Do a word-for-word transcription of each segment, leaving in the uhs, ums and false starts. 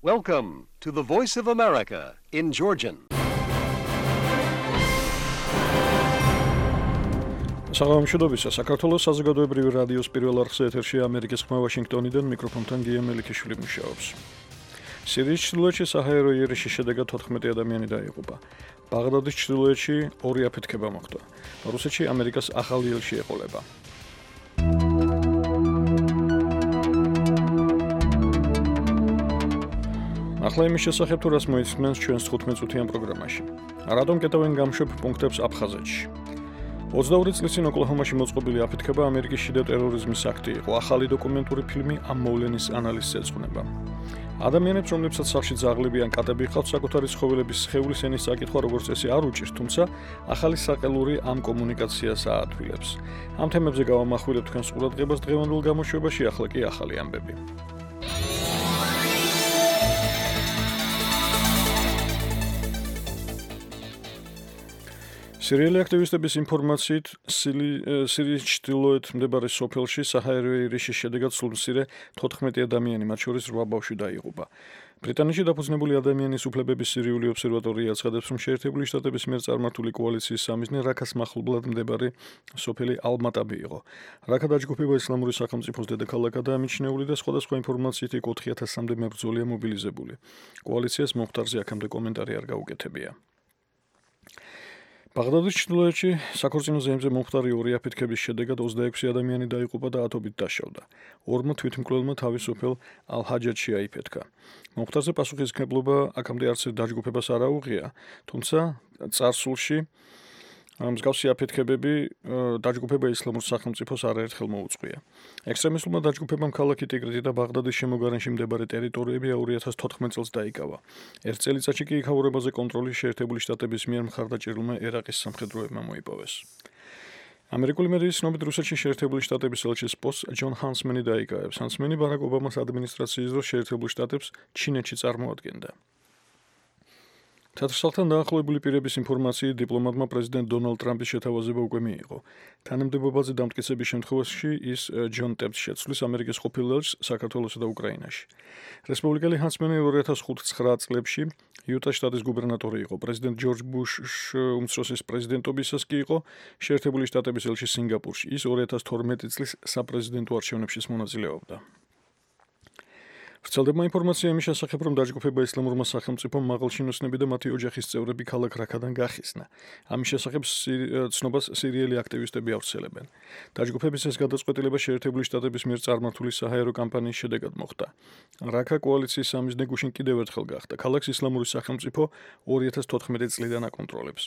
Welcome to the Voice of America in Georgian. საღამოშობისა საქართველოს საზოგადოებრივი რადიოს პირველ არხზე ეთერში ამერიკის ხმა ვაშინგტონიდან მიკროფონთან გია მელიქიშვილი მუშაობს. სირიის ჩრდილოეთში საჰაერო იერიში შედეგად თოთხმეტი ადამიანი დაიღუპა. ბაღდადის ჩრდილოეთში ორი აფეთქება მოხდა. რუსეთში ამერიკას ახალი ელჩი ეყოლება. ახლა იმის შესახებ თუ რას მოისმენს ჩვენს თხუთმეტ წუთიან პროგრამაში. რატომ კეტავენ გამშვებ პუნქტებს აფხაზეთში? ოცდაორი წლის წინ ოკლაჰომაში მოწყობილი აფეთქება ამერიკის შიდა ტერორიზმის აქტი იყო. ახალი დოკუმენტური ფილმი ამ მოვლენის ანალიზს ეძღვნება. ადამიანებს, რომლებსაც სახლში ძაღლები ან კატები ჰყავთ, საკუთარი ცხოველების სხეულის ენის წაკითხვა როგორც წესი არ უჭირთ, თუმცა ახალი საყელური ამ კომუნიკაციას აადვილებს. ამ თემებზე გავამახვილებ თქვენს ყურადღებას დღევანდელ გამოშვებაში, ახლა კი ახალი ამბები. სირიელი აქტივისტების ინფორმაციით, სირიის ჩრდილოეთ მდებარე სოფელში საჰაერო იერიში შედეგად სულმცირე თოთხმეტი ადამიანი, მათ შორის რვა ბავშვი დაიღუპა. ბრიტანეთში დაფუძნებული ადამიანის უფლებების სირიული ობსერვატორია აცხადებს, რომ შეერთებული შტატების მიერ წარმართული კოალიციის სამიზნე რაქას მახლობლად მდებარე სოფელი ალ-მატაბი იყო. რაქა დაჯგუფება ისლამური სახელმწიფოს დედაქალაქადაა მიჩნეული და სხვადასხვა ინფორმაციით იქ ოთხი ათასამდე მებრძოლია მობილიზებული. კოალიციას მომხდარზე აქამდე კომენტარი არ გაუკეთებია. ბაღდადის ჩრდილოეთში საქორწინო ზეიმზე მომხდარი ორი აფეთქების შედეგად ოცდაექვსი ადამიანი დაიღუპა და ათობით დაშავდა. ორმა თვითმკვლელმა თავის სოფელ ალ-ჰაჯათში აიფეთქა. მომხდარზე პასუხისმგებლობა აქამდე არც დაჯგუფებას არ აუღია, თუმცა წარსულში მსგავსი აფეთქებები დაჯგუფება ისლამურ სახელმწიფოს არაერთხელ მოუწყვია. ექსტრემისტულმა დაჯგუფებამ ქალაქი ტიგრეთი და ბაღდადის შემოგარენში მეორე ტერიტორიები ორი ათას თოთხმეტ წელს დაიკავა. ერთ წელიწადში კი იქაურებაზე კონტროლი შეერთებული შტატების მიერ მხარდაჭერულმა ერაყის სამხედროებმა მოიპოვეს. ამერიკული მედიის ცნობით რუსეთში შეერთებული შტატების ელჩის პოსტს ჯონ ჰანსმენი დაიკავებს. ჰანსმენი ბარაკ ობამას ადმინისტრაციის დროს შეერთებულ შტატებს ჩინეთში წარმოადგენდა. თეთრსალთან დაახლოებული პირების ინფორმაციით დიპლომატმა პრეზიდენტ დონალდ ტრამპის შეთავაზება უკვე მიიღო. თანამდებობაზე დამტკიცების შემთხვევაში ის ჯონ ტეპს შეცვლის ამერიკის ყოფილ ელჩს საქართველოსა და უკრაინაში. რესპუბლიკელი ჰანსმენი ორი ათას ცხრა წლებში იუტას შტატის გუბერნატორი იყო. პრეზიდენტ ჯორჯ ბუშ უმცროსის პრეზიდენტობისას კი იყო შეერთებული შტატების ელჩი სინგაპურში. ის ორი ათას თორმეტი წლის საპრეზიდენტო არჩევნებშიც მონაწილეობდა. ვრცელდება ინფორმაცია იმის შესახებ, რომ დაჯგუფება ისლამურმა სახელმწიფომ მაღალჩინოსნები და მათი ოჯახის წევრები ქალაქ რაქადან გახიზნა. ამის შესახებ ცნობას სირიელი აქტივისტები ავრცელებენ. დაჯგუფების ეს გადაწყვეტილება შეერთებული შტატების მიერ წარმართული საჰაერო კამპანიის შედეგად მოხდა. რაქა კოალიციის სამიზნე გუშინ კიდევ ერთხელ გახდა. ქალაქს ისლამური სახელმწიფო ორი ათას თოთხმეტი წლიდან აკონტროლებს.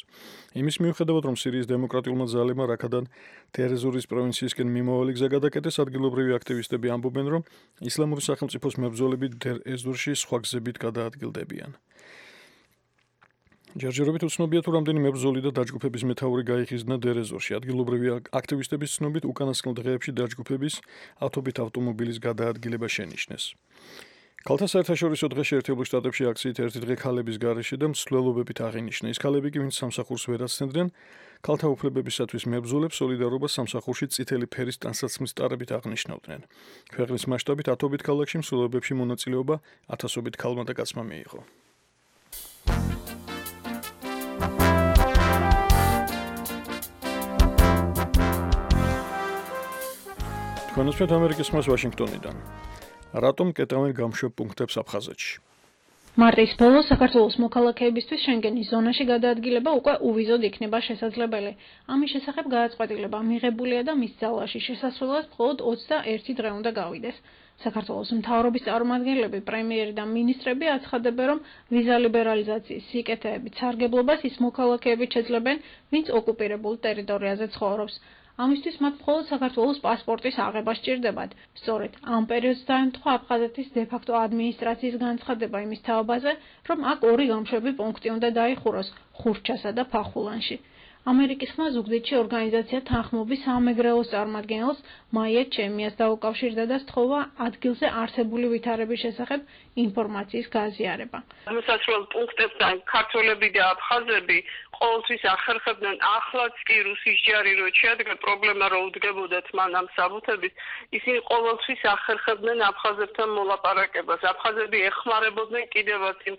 იმის მიუხედავად, რომ სირიის დემოკრატიულმა ძალებმა რაქადან დერ-ზურის პროვინციისკენ მიმავალი გზა გადაკეტეს, ადგილობრივი აქტივისტები ამბობენ, რომ ისლამური სახელმწიფოს მებრძოლები დერ-ზურში სხვა გზებით გადაადგილდებიან. ჯერჯერობით უცნობია თუ რამდენი მებრძოლი და დაჯგუფების მეთაური გაიხიზნა დერ-ზურში. ადგილობრივი აქტივისტების ცნობით უკანასკნელ დღეებში დაჯგუფების ათობით ავტომობილის გადაადგილება შენიშნეს. ქალთა საერთაშორისო დღე შეერთებულ შტატებში აქციით ერთი დღე ქალების გარეშე და მსვლელობებით აღინიშნა. ის ქალები კი, ვინც სამსახურს ვერ აცნებდნენ, ქალთა უფლებებისათვის მებრძოლებს სოლიდარობას სამსახურში წითელი ფერის ტანსაცმლის ტარებით აღნიშნავდნენ. ქვეყნის მასშტაბით ათობით ქალაქში მსვლელობებში მონაწილეობა ათასობით ქალმა და კაცმა მიიღო. თქვენ უსმენთ ამერიკის ხმას ვაშინგტონიდან. რატომ კეტავენ გამშვებ პუნქტებს აფხაზეთში? მარტის ბოლოს საქართველოს მოქალაქეებისთვის შენგენის ზონაში გადაადგილება უკვე უვიზოდ იქნება შესაძლებელი. ამის შესახებ გადაწყვეტილება მიღებულია და მის ძალაში შესასვლელად მხოლოდ ოცდაერთი დღე უნდა გავიდეს. საქართველოს მთავრობის წარმომადგენლები, პრემიერი და მინისტრები აცხადებენ, რომ ვიზა ლიბერალიზაციის სიკეთეებით სარგებლობას ის მოქალაქეებით შეძლებენ, ვინც ოკუპირებულ ტერიტორიაზე ცხოვრობს. ამისთვის მათ მხოლოდ საქართველოს პასპორტის აღება სჭირდებათ. სწორედ ამ პერიოდს დაემთხვა აფხაზეთის დე-ფაქტო ადმინისტრაციის განცხადება იმის თაობაზე, რომ აქ ორი გამშვები პუნქტი უნდა დაიხუროს ხურჩასა და ფახულანში. ამერიკის ხმა ზუგდიდში ორგანიზაცია თანხმობის სამეგრელოს წარმომადგენელს მაია ჩემიას დაუკავშირდა და სთხოვა ადგილზე არსებული ვითარების შესახებ ინფორმაციის გაზიარება. მოსასვლელ პუნქტებთან ქართველები და აფხაზები ყოველთვის ახერხებდნენ ახლაც კი რუსის ჯარი რო შეადგა პრობლემა რო უდგებოდათ მან ამ საბუთებით ისინი ყოველთვის ახერხებდნენ აფხაზებთან მოლაპარაკებას. აფხაზები ეხმარებოდნენ კიდევაც იმ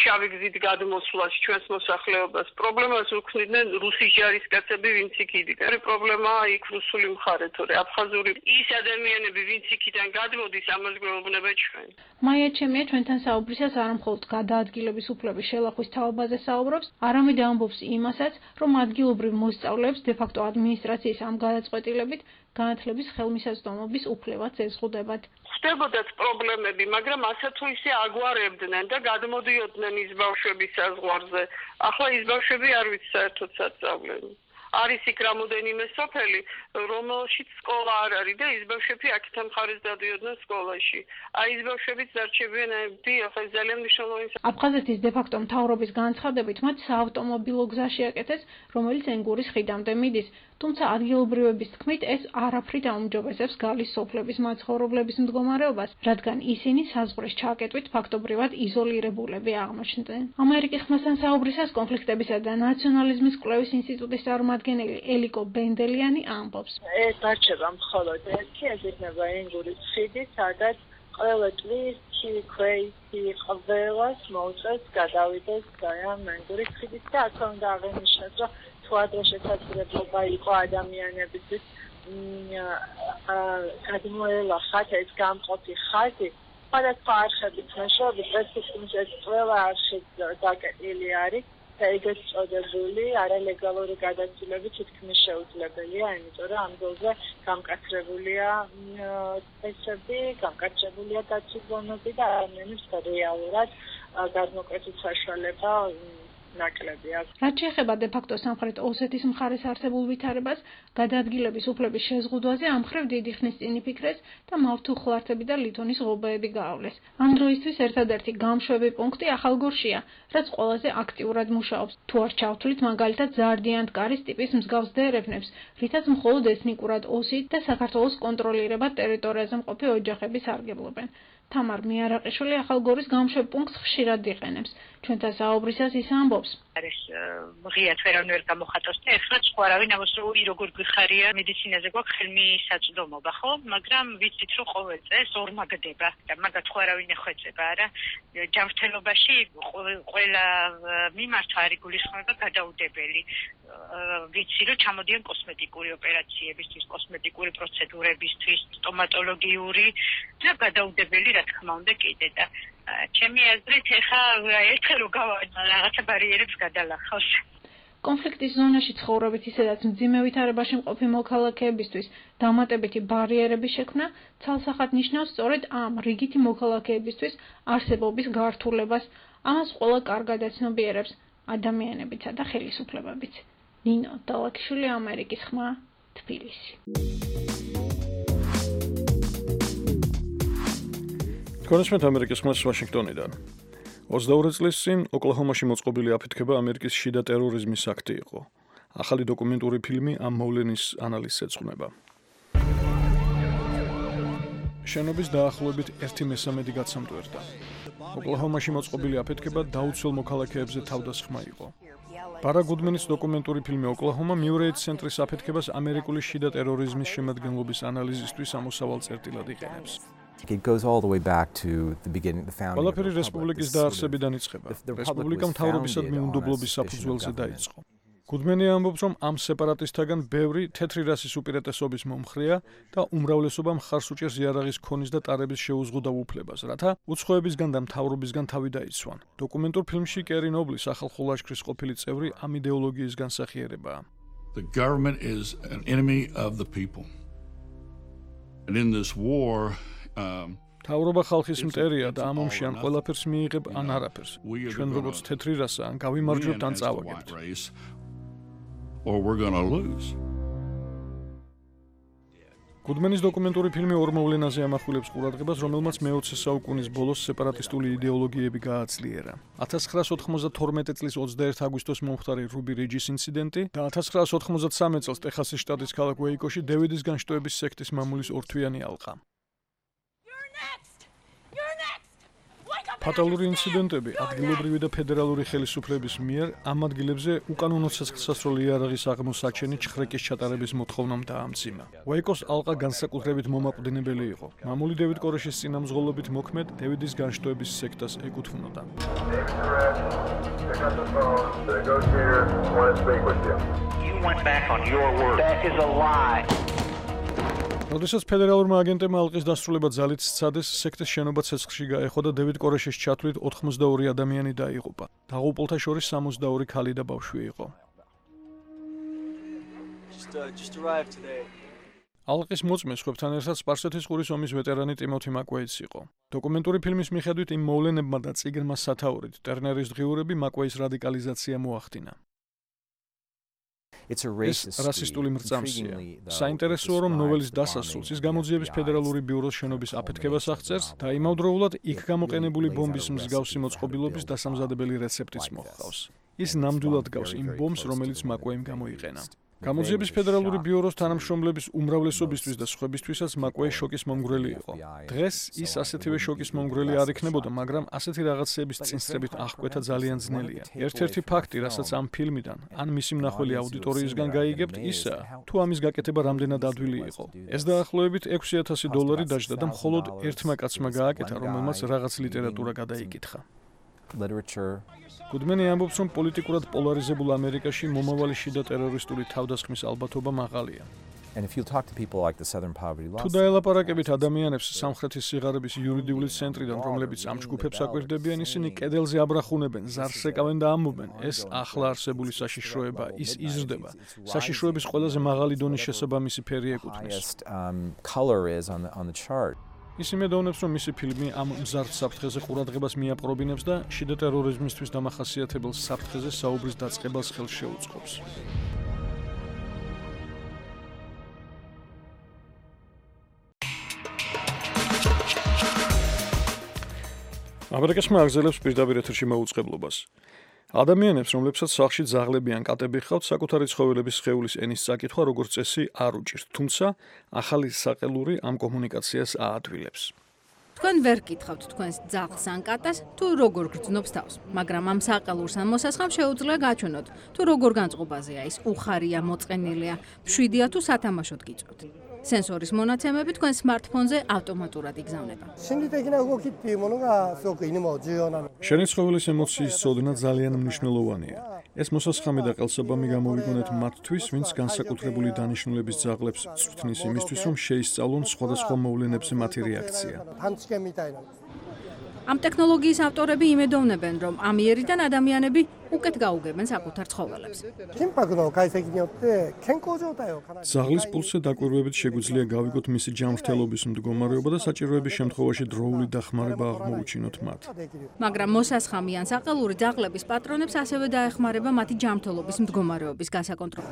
შავი გზით გადმოსვლას ჩვენს მოსახლეობას. პრობლემას უქმნიდნენ რუსის ჯარის კაცები, ვინც იქ იდგა. პრობლემაა იქ რუსული მხარე, თორე აფხაზური ის ადამიანები, ვინც იქიდან გადმოდის, ამას გვეუბნება ჩვენ. მაია ჩემია ჩვენთან საუბრისას არა მხოლოდ გადაადგილების უფლების შელახვის თაობაზე საუბრობს, არამედ ამბობს იმასაც, რომ ადგილობრივ მოსწავლეებს დე-ფაქტო ადმინისტრაციის ამ გადაწყვეტილებით განათლების ხელმისაწვდომობის უფლებაც ეზღუდებათ. ხდებოდათ პრობლემები, მაგრამ ასე თუ ისე აგვარებდნენ და გადმოდიოდნენ ის ბავშვების საზღვარზე. ახლა ის ბავშვები არ ვიცი საერთოდ სასწავლენ. არის იქ რამოდენიმე სოფელი, რომელშიც სკოლა არ არის და ის ბავშვები აქეთან მხარეს დადიოდნენ სკოლაში. აი ის ბავშვებიც დარჩებიან დიახ, ეს ძალიან მნიშვნელოვანი. აფხაზეთის დე-ფაქტო მთავრობის განცხადებით მათ საავტომობილო გზა შეაკეთეს, რომელიც ენგურის ხიდამდე მიდის. თუმცა ადგილობრივების თქმით ეს არაფრით აუმჯობესებს გალის სოფლების მაცხოვრებლების მდგომარეობას, რადგან ისინი საზღვრის ჩაკეტვით ფაქტობრივად იზოლირებულები აღმოჩნდნენ. ამერიკის ხმასთან საუბრისას კონფლიქტებისა და ნაციონალიზმის კვლევის ინსტიტუტის წარმომადგენელი ელიკო ბენდელიანი ამბობს. ეს დარჩება მხოლოდ ერთი, ეს იქნება ენგურის ხიდი, სადაც ყველა წლის ქვეითი ყველას მოუწევს გადავიდეს ამ ენგურის ხიდით და აქ უნდა აღინიშნოს, რომ თუ ადრე შესაძლებლობა იყო ადამიანებისთვის გადმოელახათ ეს გამყოფი ხაზი, სხვადასხვა არხებით მეშვეობით პრესტიჟის ეს ყველა არხი დაკეტილი არის და ეგეც წოდებული არალეგალური გადაცილები თითქმის შეუძლებელია, იმიტომ რომ ამ დროზე გამკაცრებულია წესები, გამკაცრებულია დაწესებულება და ადამიანებს რეალურად გადმოკვეთის საშუალება ნაკლები აქვს. რაც შეეხება დე-ფაქტო სამხრეთ ოსეთის მხარეს არსებულ ვითარებას, გადაადგილების უფლების შეზღუდვაზე ამ მხრივ დიდი ხნის წინ იფიქრეს და მავთუხლართები და ლითონის ღობეები გაავლეს. ამ დროისთვის ერთადერთი გამშვები პუნქტი ახალგორშია, რაც ყველაზე აქტიურად მუშაობს. თუ არ ჩავთვლით მაგალითად ზარდიან-ტკარის ტიპის მსგავს დერეფნებს, რითაც მხოლოდ ეთნიკურად ოსით და საქართველოს კონტროლირებად ტერიტორიაზე მყოფი ოჯახები სარგებლობენ. თამარ მიარაყიშვილი ახალგორის გამშვებ პუნქტს ხშირად იყენებს. ჩვენთან საუბრისას ის ამბობს. არის ღიად ვერავინ ვერ გამოხატავს და ეხლა სხვარავინ ამას როგორ გვიხარია მედიცინაზე გვაქვს ხელმისაწვდომობა, ხო? მაგრამ ვიცით რომ ყოველ წელს ორმაგდება და მაგათ სხვარავინ ეხვეწება, არა? ჯანმრთელობაში ყველა მიმართ არის გულისხმობა გადაუდებელი. ვიცი რომ ჩამოდიან კოსმეტიკური ოპერაციებისთვის, კოსმეტიკური პროცედურებისთვის, სტომატოლოგიური და გადაუდებელი რა თქმა უნდა კიდე და ჩემი აზრით ეხა ერთხელ რო რაღაცა ბარიერებს გადალახავს. კონფლიქტის ზონაში ცხოვრობით ისედაც მძიმე ვითარებაში მყოფი მოქალაქეებისთვის დამატებითი ბარიერების შექმნა ცალსახად ნიშნავს სწორედ ამ რიგითი მოქალაქეებისთვის არსებობის გართულებას. ამას ყველა კარგად ეცნობიერებს ადამიანებიცა და ხელისუფლებებიც. ნინო დალაკიშვილი, ამერიკის ხმა, თბილისი. კონსმეთ ამერიკის ხმას ვაშინგტონიდან. ოცდაორი წლის წინ ოკლაჰომაში მოწყობილი აფეთქება ამერიკის შიდა ტერორიზმის აქტი იყო. ახალი დოკუმენტური ფილმი ამ მოვლენის ანალიზს ეძღვნება. შენობის დაახლოებით ერთი მესამედი გაცამტვერდა. ოკლაჰომაში მოწყობილი აფეთქება დაუცველ მოქალაქეებზე თავდასხმა იყო. ბარა გუდმენის დოკუმენტური ფილმი ოკლაჰომა მიურეით ცენტრის აფეთქებას ამერიკული შიდა ტერორიზმის შემადგენლობის ανალიზისთვის ამოსავალ წერტილად იყენებს. It goes all the way back to the beginning, the founding. ყველაფერი რესპუბლიკის დაარსებიდან იწყება. რესპუბლიკა მთავრობისა მიუნდობლობის საფუძველზე დაიწყო. გუდმენი ამბობს, რომ ამ სეპარატისტთაგან ბევრი თეთრი რასის უპირატესობის მომხრეა და უმრავლესობა მხარს უჭერს იარაღის ქონის და ტარების შეუზღუდავ უფლებას, რათა უცხოებისგან და მთავრობისგან თავი დაიცვან. დოკუმენტურ ფილმში კერი ნობლი სახალხო ლაშქრის ყოფილი წევრი ამ იდეოლოგიის განსახიერებაა. The government is an enemy of the people. And in this war თავრობა ხალხის მტერია და ამ ომში ან ყველაფერს მიიღებ ან არაფერს. ჩვენ როგორც თეთრი რასა ან გავიმარჯვებთ ან წავაგებთ. Or we're going to lose. გუდმენის დოკუმენტური ფილმი ორ მოვლენაზე ამახვილებს ყურადღებას, რომელმაც მეოცე საუკუნის ბოლოს სეპარატისტული იდეოლოგიები გააძლიერა. ათას ცხრაას ოთხმოცდათორმეტი წლის ოცდაერთი აგვისტოს მომხდარი რუბი რიჯის ინციდენტი და ათას ცხრაას ოთხმოცდათსამი წელს ტეხასის შტატის ქალაქ უეიკოში დევიდის განშტოების სექტის მამულის ორთვიანი ალყა. ფატალური ინციდენტები ადგილობრივი და ფედერალური ხელისუფლების მიერ ამ ადგილებზე უკანონო ცეცხლსასროლი იარაღის აღმოსაჩენი ჩხრეკის ჩატარების მოთხოვნამ დაამძიმა. უეიკოს ალყა განსაკუთრებით მომაკვდინებელი იყო. მამული დევიდ კორეშის წინამძღოლობით მოქმედ დევიდის განშტოების სექტას ეკუთვნოდა. როდესაც ფედერალურმა აგენტებმა ალყის დასრულება ძალით სცადეს, სექტის შენობა ცეცხლში გაეხო და დევიდ კორეშის ჩათვლით ოთხმოცდაორი ადამიანი დაიღუპა. დაღუპულთა შორის სამოცდაორი ქალი და ბავშვი იყო. ალყის მოწმე სხვებთან ერთად სპარსეთის ყურის ომის ვეტერანი ტიმოთი მაკვეიც იყო. დოკუმენტური ფილმის მიხედვით იმ მოვლენებმა და წიგნმა სათაურით ტერნერის დღიურები მაკვეის რადიკალიზაცია მოახდინა. It's a ეს რასისტული მრწამსია. საინტერესოა, რომ ნოველის დასასრულს ის გამოძიების ფედერალური ბიუროს შენობის აფეთქებას აღწერს და იმავდროულად იქ გამოყენებული ბომბის მსგავსი მოწყობილობის დასამზადებელი რეცეპტიც მოჰყავს. ის ნამდვილად გავს იმ ბომბს, რომელიც მაკვეიმ გამოიყენა. გამოძიების ფედერალური ბიუროს თანამშრომლების უმრავლესობისთვის და სხვებისთვისაც მაკვეი შოკის მომგვრელი იყო. დღეს ის ასეთივე შოკის მომგვრელი არ იქნებოდა, მაგრამ ასეთი რაღაცეების წინსწრებით აღკვეთა ძალიან ძნელია. ერთ-ერთი ფაქტი, რასაც ამ ფილმიდან ან მისი მნახველი აუდიტორიისგან გაიგებთ, ისაა, თუ ამის გაკეთება რამდენად ადვილი იყო. ეს დაახლოებით ექვსი ათასი დოლარი დაჯდა და მხოლოდ ერთმა კაცმა გააკეთა, რომელმაც რაღაც ლიტერატურა გადაიკითხა. literature. გუდმენი ამბობს, რომ პოლიტიკურად პოლარიზებულ ამერიკაში მომავალი შიდა ტერორისტული თავდასხმის ალბათობა მაღალია. And if you talk to people like the Southern Poverty Law თუ დაელაპარაკებით ადამიანებს სამხრეთის სიღარიბის იურიდიული ცენტრიდან, რომლებიც ამ ჯგუფებს აკვირდებიან, ისინი კედელზე აბრახუნებენ, ზარს ეკავენ და ამბობენ, ეს ახლა არსებული საშიშროება, ის იზრდება. საშიშროების ყველაზე მაღალი დონის შესაბამისი ფერი ეკუთვნის. highest um, color is on the on the chart. ის იმედოვნებს, რომ მისი ფილმი ამ მზარდ საფრთხეზე ყურადღებას მიაპყრობინებს და შიდა ტერორიზმისთვის დამახასიათებელ საფრთხეზე საუბრის დაწყებას ხელს შეუწყობს. ამერიკასმა აგზელებს პირდაპირ ეთერში მოუწყებლობას. ადამიანებს, რომლებსაც სახლში ძაღლები ან კატები ჰყავთ, საკუთარი ცხოველების სხეულის ენის წაკითხვა როგორც წესი არ უჭირთ, თუმცა ახალი საყელური ამ კომუნიკაციას აადვილებს. თქვენ ვერ გკითხავთ თქვენს ძაღლს ან კატას, თუ როგორ გრძნობს თავს, მაგრამ ამ საყელურს ან მოსასხამს შეუძლია გაჩვენოთ, თუ როგორ განწყობაზეა ის, უხარია, მოწყენილია, მშვიდია თუ სათამაშოდ გიწვევთ. სენსორის მონაცემები თქვენ სმარტფონზე ავტომატურად იგზავნება. შენი ცხოველის ემოციის ცოდნა ძალიან მნიშვნელოვანია. ეს მოსასხამი და ყელსაბამი გამოვიგონეთ მათთვის, ვინც განსაკუთრებული დანიშნულების ძაღლებს წვრთნის იმისთვის, რომ შეისწავლონ სხვადასხვა მოვლენებზე მათი რეაქცია. ამ ტექნოლოგიის ავტორები იმედოვნებენ, რომ ამიერიდან ადამიანები უკეთ გაუგებენ საკუთარ ცხოველებს. ძაღლის პულსზე დაკვირვებით შეგვიძლია გავიგოთ მისი ჯანმრთელობის მდგომარეობა და საჭიროების შემთხვევაში დროული დახმარება აღმოუჩინოთ მათ. მაგრამ მოსასხამი ან საყელური ძაღლების პატრონებს ასევე დაეხმარება მათი ჯანმრთელობის მდგომარეობის გასაკონტროლო.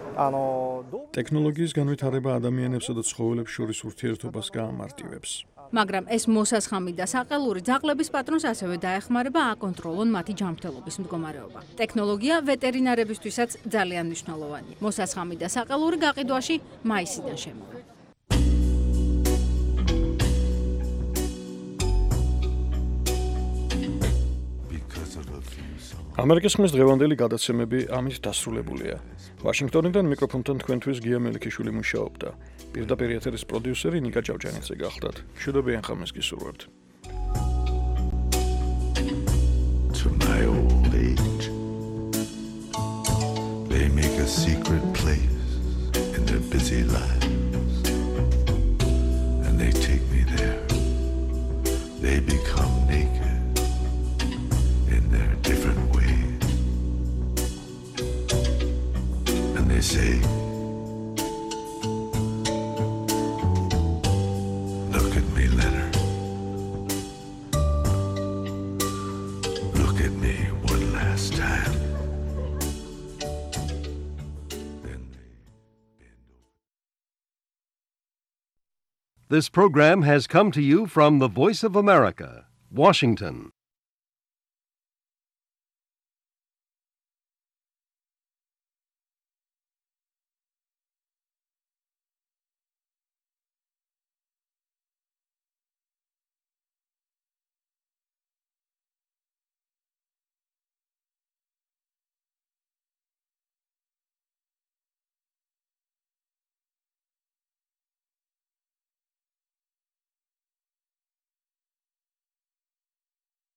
ტექნოლოგიის განვითარება ადამიანებსა და ცხოველებს შორის ურთიერთობას გაამარტივებს. მაგრამ ეს მოსასხამი და საყელური ძაღლების პატრონს ასევე დაეხმარება აკონტროლონ მათი ჯანმრთელობის მდგომარეობა. ტექნოლოგია ვეტერინარებისთვისაც ძალიან მნიშვნელოვანია. მოსასხამი და საყელური გაყიდვაში მაისიდან შემოვა. ამერიკის ხმის დღევანდელი გადაცემები ამით დასრულებულია. ვაშინგტონიდან მიკროფონთან თქვენთვის გია მელიქიშვილი მუშაობდა. პირდაპირ ეთერის პროდიუსერი ნიკა ჭავჭანიძე გახლდათ. მშვიდობიან ხამეს გისურვებთ. To my old age, they make a secret place in their busy lives, and they take me there. They become naked in their different ways, and they say, look at me, Leonard. Look at me one last time. This program has come to you from the Voice of America, Washington.